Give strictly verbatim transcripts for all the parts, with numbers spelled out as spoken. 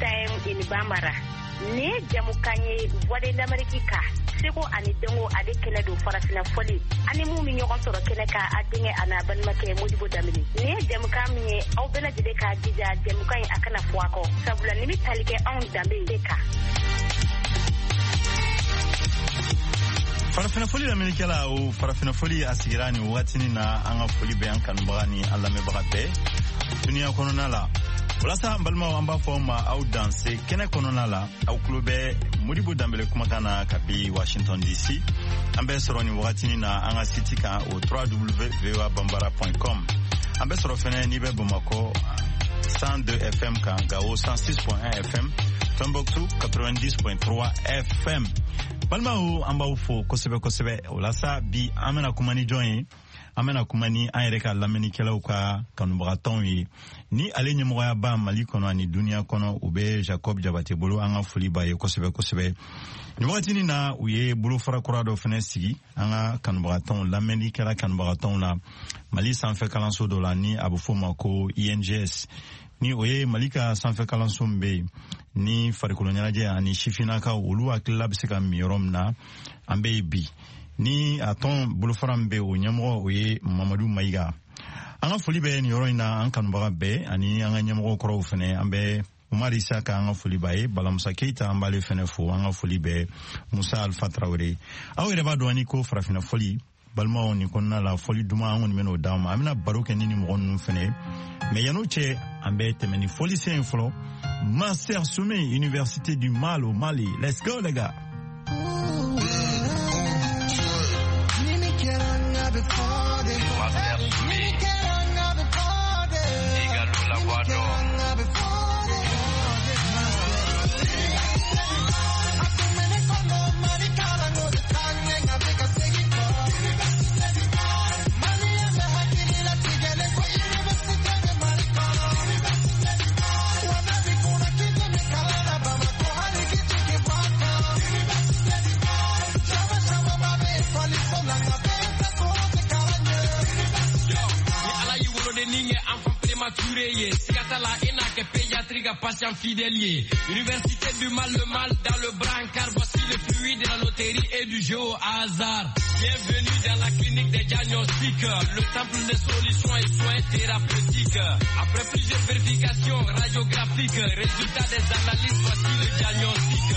Time in Bambara. Nin ye jamukan ye Voix de l'Amérique kan, seko ani dɔnko ale kɛnɛ don, farafina fɔli ani mun bɛ ɲɔgɔn sɔrɔ kɛnɛ kan, a denkɛ a n'a balimakɛ Modibo Danbele. Nin ye jamukan min ye, aw bɛɛ lajɛlen k'a jija jamukan in a kana fɔ a kɔ, sabula nin bɛ tali kɛ anw danbe de kan. Farafina foli lamɛnnikɛla, o farafina foli a sigira nin wagatinin na. An ka foli bɛ an kanubaga ni an lamɛnbaga bɛɛ duniya kɔnɔna la. Walasa an balimaw, an b'a fɔ aw ma aw danse kɛnɛ kɔnɔna la. Aw tulo bɛ Modibo Danbele kumakan na kabi Washington D C. An bɛ sɔrɔ nin wagatinin na an ka site kan, o w w w point voa bambara point com. An bɛ sɔrɔ fɛnɛ, n'i bɛ Bamakɔ, cent deux F M kan, Gao cent six point un F M, Tombouctou quatre-vingt-dix point trois F M. Balimaw, an b'aw fo kosɛbɛ kosɛbɛ. O la sa, bi an bɛna kuma ni jɔn ye? An bɛna kuma ni an yɛrɛ ka lamɛnnikɛlaw ka kanubagatɔnw ye, ni ale ɲɛmɔgɔyaba Mali kɔnɔ ani duniya kɔnɔ, u bɛ Jacob Jabate bolo. An ka foli b'a ye kosɛbɛ kosɛbɛ. Nin wagatinin na, u ye bolofara kura dɔ fɛnɛ sigi an ka kanubagatɔnw, lamɛnnikɛla kanubagatɔnw la, Mali sanfɛ kalanso dɔ la, ni a bɛ f'o ma ko I N G S, ni o ye Mali ka sanfɛ kalanso min bɛ yen ni farikolo ɲɛnajɛ ani sifinnakaw olu hakilila bɛ se ka min yɔrɔ min na. An bɛ yen bi ni a tɔn bolofara min bɛ o ɲɛmɔgɔ, o ye Mamadu Mayiga. An ka foli bɛ nin yɔrɔ in na, an kanubaga bɛɛ ani an ka ɲɛmɔgɔ kɔrɔw fɛnɛ. An bɛ Umar Isa ka, an ka foli b'a ye. Balamusa Keyita, an b'ale fɛnɛ fo. An ka foli bɛ Musa Alfa Tarawele. Aw yɛrɛ b'a dɔn ani ko farafina fɔli, balimaw, nin kɔnɔna la, fɔli duman an kɔni bɛn'o d'aw ma. An bɛna baro kɛ ni ni mɔgɔ ninnu fɛnɛ ye, mais yan'o cɛ, an bɛ tɛmɛ ni fɔlisen ye fɔlɔ. Master Soumy, Université du Mal au Mali. Let's go les gars. Master Soumy, Igalo la voix d'or. Ni Ala y'i woloden ni ye enfant prématuré ye, siga t'a la, e n'a kɛ pédiatrie ka patient fidèle ye. Université du mal, le mal dans le brancard, voici le fruit de la loterie et du jeu au hasard. Bienvenue dans la clinique des diagnostics, le temple des solutions et soins thérapeutiques. Après plusieurs vérifications radiographiques, résultat des analyses, voici le diagnostic.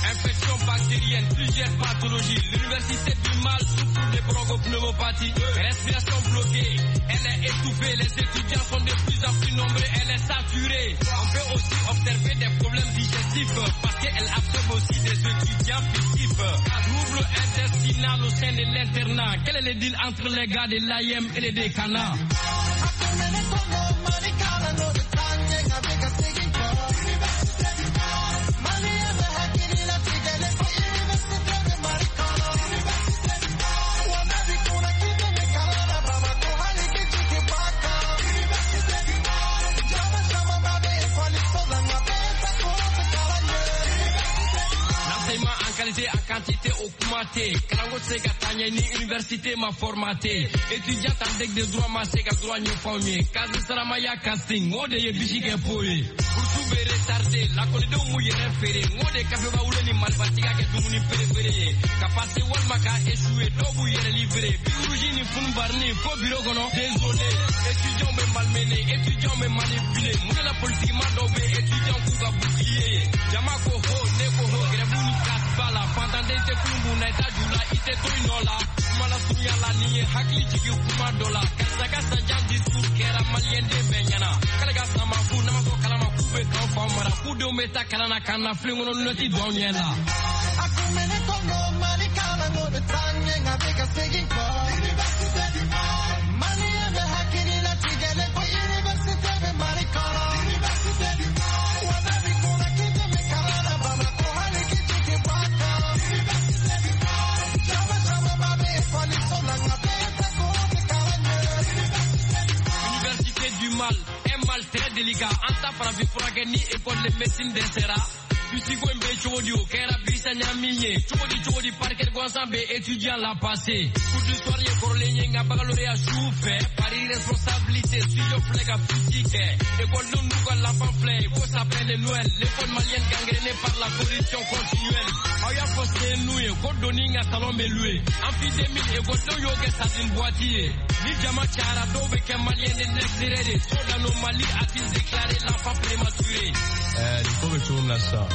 Infection bactérienne, plusieurs pathologies. L'université du mal souffre de bronchopneumopathie. Respiration bloquée, elle est étouffée. Les étudiants sont de plus en plus nombreux, elle est saturée. On peut aussi observer des problèmes digestifs parce qu'elle absorbe aussi des étudiants fictifs. Trouble intestinal au sein de l'internat. Quel est le deal entre les gars de l'A M et les décanats? L'enseignement en qualité, en quantité o kuma tɛ. Kalanko tɛ se ka taa ɲɛ ni université ma formaté. Étudiant en deck de droit ma se ka droit ɲɛfɔ anw ye. Kazi Saramaya casting, o de ye bisi kɛ po ye. Bourse bɛ retardé, lakɔlidenw m'u yɛrɛ feere. N ko de kafeba wolo ni marifatigiya kɛ dumuni perefere ye. Ka passer walima ka échouer, dɔw b'u yɛrɛ livrer. Bic rouge ni funubarini fo bureau kɔnɔ. Désolé, étudiants bɛ malmené, étudiants bɛ manipuler. Mun de la politique ma dɔw bɛ étudiants k'u ka bouclier ye? Jama ko ho, ne ko ho, grève ni casse ba la. Fantanden tɛ kulun kun na, i t'a ju la, i tɛ to i nɔ la. Kuma la surunya la, nin ye hakili jigin kuma dɔ la. Karisa ka sanjan discours kɛra maliyɛn den bɛɛ ɲɛna. K'ale ka sama fu n'a ma fɔ kalama k'u bɛ k'anw faw mara. K'u denw bɛ taa kalan na k'an na filen kɔnɔ lunette don anw ɲɛ la. Université du mal, un mal très délicat. An ta farafin furakɛ ni école de médecine dɛsɛra. Fusi ko in bɛ cogo di o kɛra bisa ɲami ye cogo di cogo di parquet gansan bɛ étudiant la passé cours du soir ye kɔrɔlen ye nka baccalauréat su fɛ pari responsabilité studio filɛ ka fusi kɛ école n'u ka lapin filɛ ko s'appelle Noël l'école malienne gangrénée par la corruption continuelle aw y'a fɔ sen n'u ye ko doni ka salon bɛ loué amphi deux mille école y'o kɛ sardine boîte ye ni jama cayara dɔw bɛ kɛ malien de l'extérieur ye trop d'anomalie a-t-il déclaré l'enfant prématuré. Ɛɛ nin ko bɛ cogo min na sisan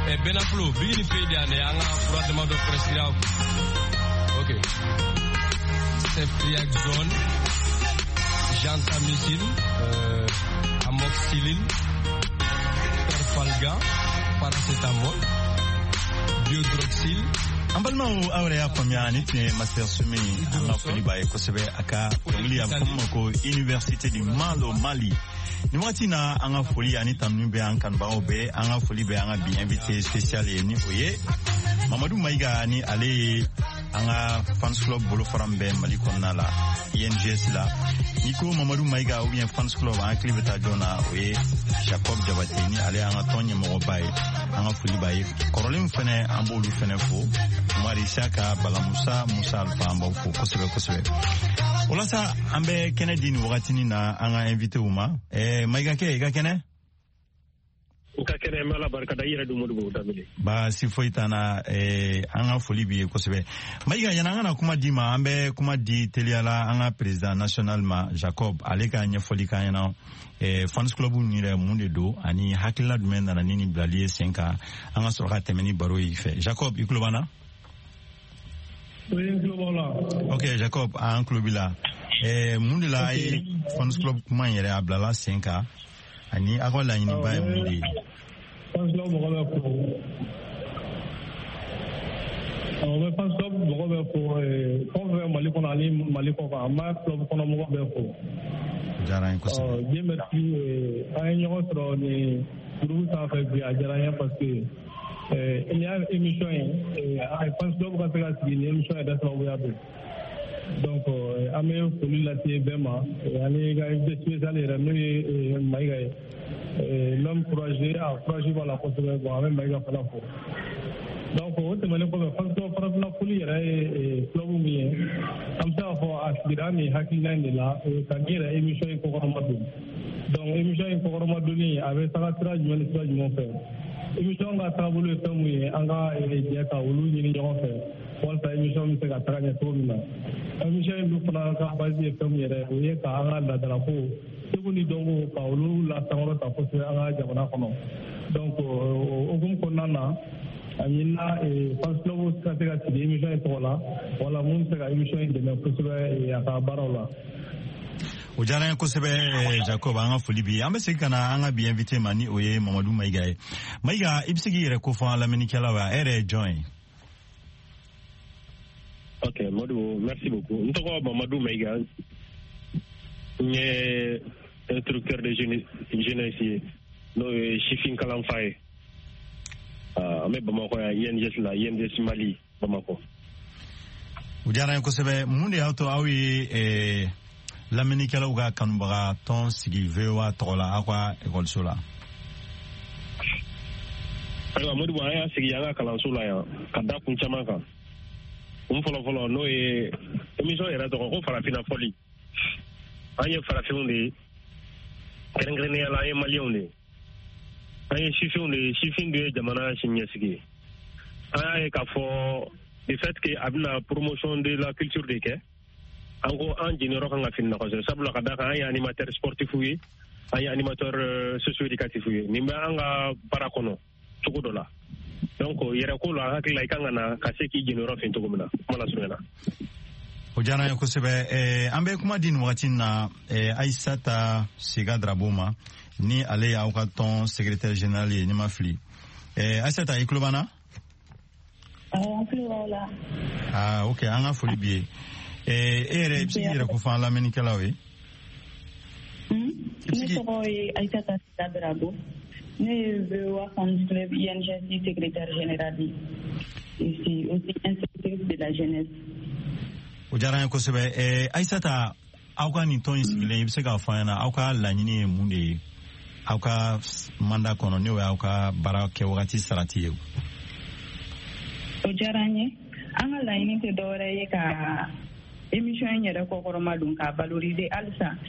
ɛ Benaflo bigi ni pe de yan dɛ an ka fura damadɔ prescrire aw kun. Ok, ceftriaxone, gentamicine, euh, amoxicilline, perfalgan, paracétamol, biodroxyl. An balimaw, aw yɛrɛ y'a faamuya ni tun ye Master Sumi, an ka foli b'a ye kosɛbɛ. A ka dɔnkili a bɛ fɔ min ma ko Université du Mal au Mali. Nin wagati na, an ka foli ani tanuni bɛ an kanubagaw bɛɛ, an ka foli bɛ an ka bi invité spécial ye, ni o ye Mamadu Mayiga, ni ale ye an ka fans club bolofara min bɛ Mali kɔnɔna la, I N G S la. N'i ko Mamadu Mayiga ou bien fans club, an hakili bɛ taa jɔn na? O ye Jacob Jabate, ni ale y'an ka tɔn ɲɛmɔgɔba ye. An ka foli b'a ye. Kɔrɔlen fɛnɛ, an b'olu fɛnɛ fo, Umar Isaka, Bala Musa, Musa Alfa, an b'aw fo kosɛbɛ kosɛbɛ. O la sa, an bɛ kɛnɛ di nin wagatinin na an ka invité ma. ɛɛ Mayiga kɛ, i ka kɛnɛ? N ka kɛnɛ, n bɛ Ala barika da. I yɛrɛ dun, Modibo Danbele? Baasi foyi t'an na. eh, an ka foli b'i ye kosɛbɛ, Mayiga. Yanni an kana kuma di ma, an bɛ kuma di teliya la an ka président national ma, Jacob, ale ka ɲɛfɔli k'an ɲɛna eh, fans club nin yɛrɛ mun de don ani hakilina jumɛn nana ni nin bilali ye sen kan, an ka sɔrɔ ka tɛmɛ ni baro ye fɛ. Jacob, i tulo b'an na? Oui, n tulo b'aw la. Ok Jacob, an tulo b'i la. eh, mun de la a ye fans club kuma in yɛrɛ a bilala sen kan ani aw ka laɲiniba ye mun de ye? Fans club mɔgɔ bɛ fo. Awɔ, n bɛ fans club mɔgɔ bɛ fo, fɛn o fɛn bɛ Mali kɔnɔ ani Mali kɔ kan, an b'a club kɔnɔ mɔgɔ bɛɛ fo. O diyara an ye kosɛbɛ. Ɔ, Dieu merci, an ye ɲɔgɔn sɔrɔ nin groupe sanfɛ bi, a diyara n ye parce que nin y'a émission ye, a fans club ka se ka sigi nin émission yɛrɛ sababuya don. Donc an bɛ foli lase bɛɛ ma ani ka invité spécial yɛrɛ, n'o ye Mayiga ye, l'homme courageux, a courage b'a la kosɛbɛ. Bon, an bɛ Mayiga fana fo. Donc o tɛmɛnen kɔfɛ, fans club farafinna foli yɛrɛ ye club min ye, an bɛ se k'a fɔ a sigira nin hakilina in de la ka nin yɛrɛ émission in kɔkɔrɔma don. Donc émission in kɔkɔrɔma donni, a bɛ taga sira jumɛn ni sira jumɛn fɛ? Émission ka taabolo ye fɛn mun ye? An ka jɛ ka olu ɲini ɲɔgɔn fɛ walasa émission bɛ se ka taga ɲɛ cogo min na. Émission in dun fana ka base ye fɛn min yɛrɛ, o ye ka an ka laadalako, seko ni dɔnko, ka olu la sankɔrɔta kosɛbɛ an ka jamana kɔnɔ. Donc o hukumu kɔnɔna na, a ɲinina fans club ka se ka sigi émission in tɔgɔ la, wala mun bɛ se ka émission in dɛmɛ kosɛbɛ a ka baaraw la. O diyara an ye kosɛbɛ, Jacob, an ka foli bi ye. An bɛ segin ka na an ka bi invité ma, ni o ye Mamadu Mayiga ye. Mayiga, i bɛ se k'i yɛrɛ kofɔ an lamɛnnikɛlaw ye? E yɛrɛ ye jɔn ye? Ok Modibo, merci beaucoup. N tɔgɔ Mamadu Mayiga, n ye instructeur de jeunesse ye, n'o ye sifin kalanfa ye. An bɛ Bamakɔ yan, I N G S la, I N G S Mali Bamakɔ. O diyara an ye kosɛbɛ. Mun de y'a to aw ye lamɛnnikɛlaw ka kanubaga tɔn sigi V O A tɔgɔ la aw ka ekɔliso la? Ayiwa Modibo, an y'a sigi an ka kalanso la yan ka da kun caman kan. Kun fɔlɔ fɔlɔ, n'o ye émission yɛrɛ tɔgɔ ko Farafinna fɔli. An ye farafinw de ye, kɛrɛnkɛrɛnnenya la an ye maliyɛnw de ye, an ye sifinw de ye. Sifin dun ye jamana siniɲɛsigi ye. An y'a ye k'a fɔ du fait que a bɛna promotion de la culture de kɛ, an ko an jeniyɔrɔ kan ka fini na kosɛbɛ, sabula ka da kan an ye animateur sportif ye, an ye animateur socio éducatif ye. Nin bɛ an ka baara kɔnɔ cogo dɔ la. Donc yɛrɛ ko la, an hakili la i kan ka na ka se k'i jeniyɔrɔ fin cogo min na, kuma la surunya na. O diyara an ye kosɛbɛ. An bɛ kuma di nin wagati na Ayisata Sega Darabo ma, ni ale y'aw ka tɔn secrétaire général ye, ni ma fili. Ayisata, i tulo b'an na? Awɔ, n tulo b'aw la. Ah ok, an ka foli b'i ye. E yɛrɛ, i bɛ se k'i yɛrɛ kofɔ an lamɛnnikɛlaw ye? Ne tɔgɔ ye Ayisata Sega Darabo. Ne ye V O A Fans Club I N G S secrétaire général ye. Et c'est aussi instructrice de la jeunesse. O diyara an ye kosɛbɛ. Ayisata, aw ka nin tɔn in sigilen, i bɛ se k'a fɔ an ɲɛna aw ka laɲini ye mun de ye? Aw ka mandat kɔnɔ, n'o y'aw ka baara kɛ wagati sarati ye? O diyara n ye. An ka laɲini tɛ dɔwɛrɛ ye ka émission in yɛrɛ kɔkɔrɔma don, k'a valoriser halisa.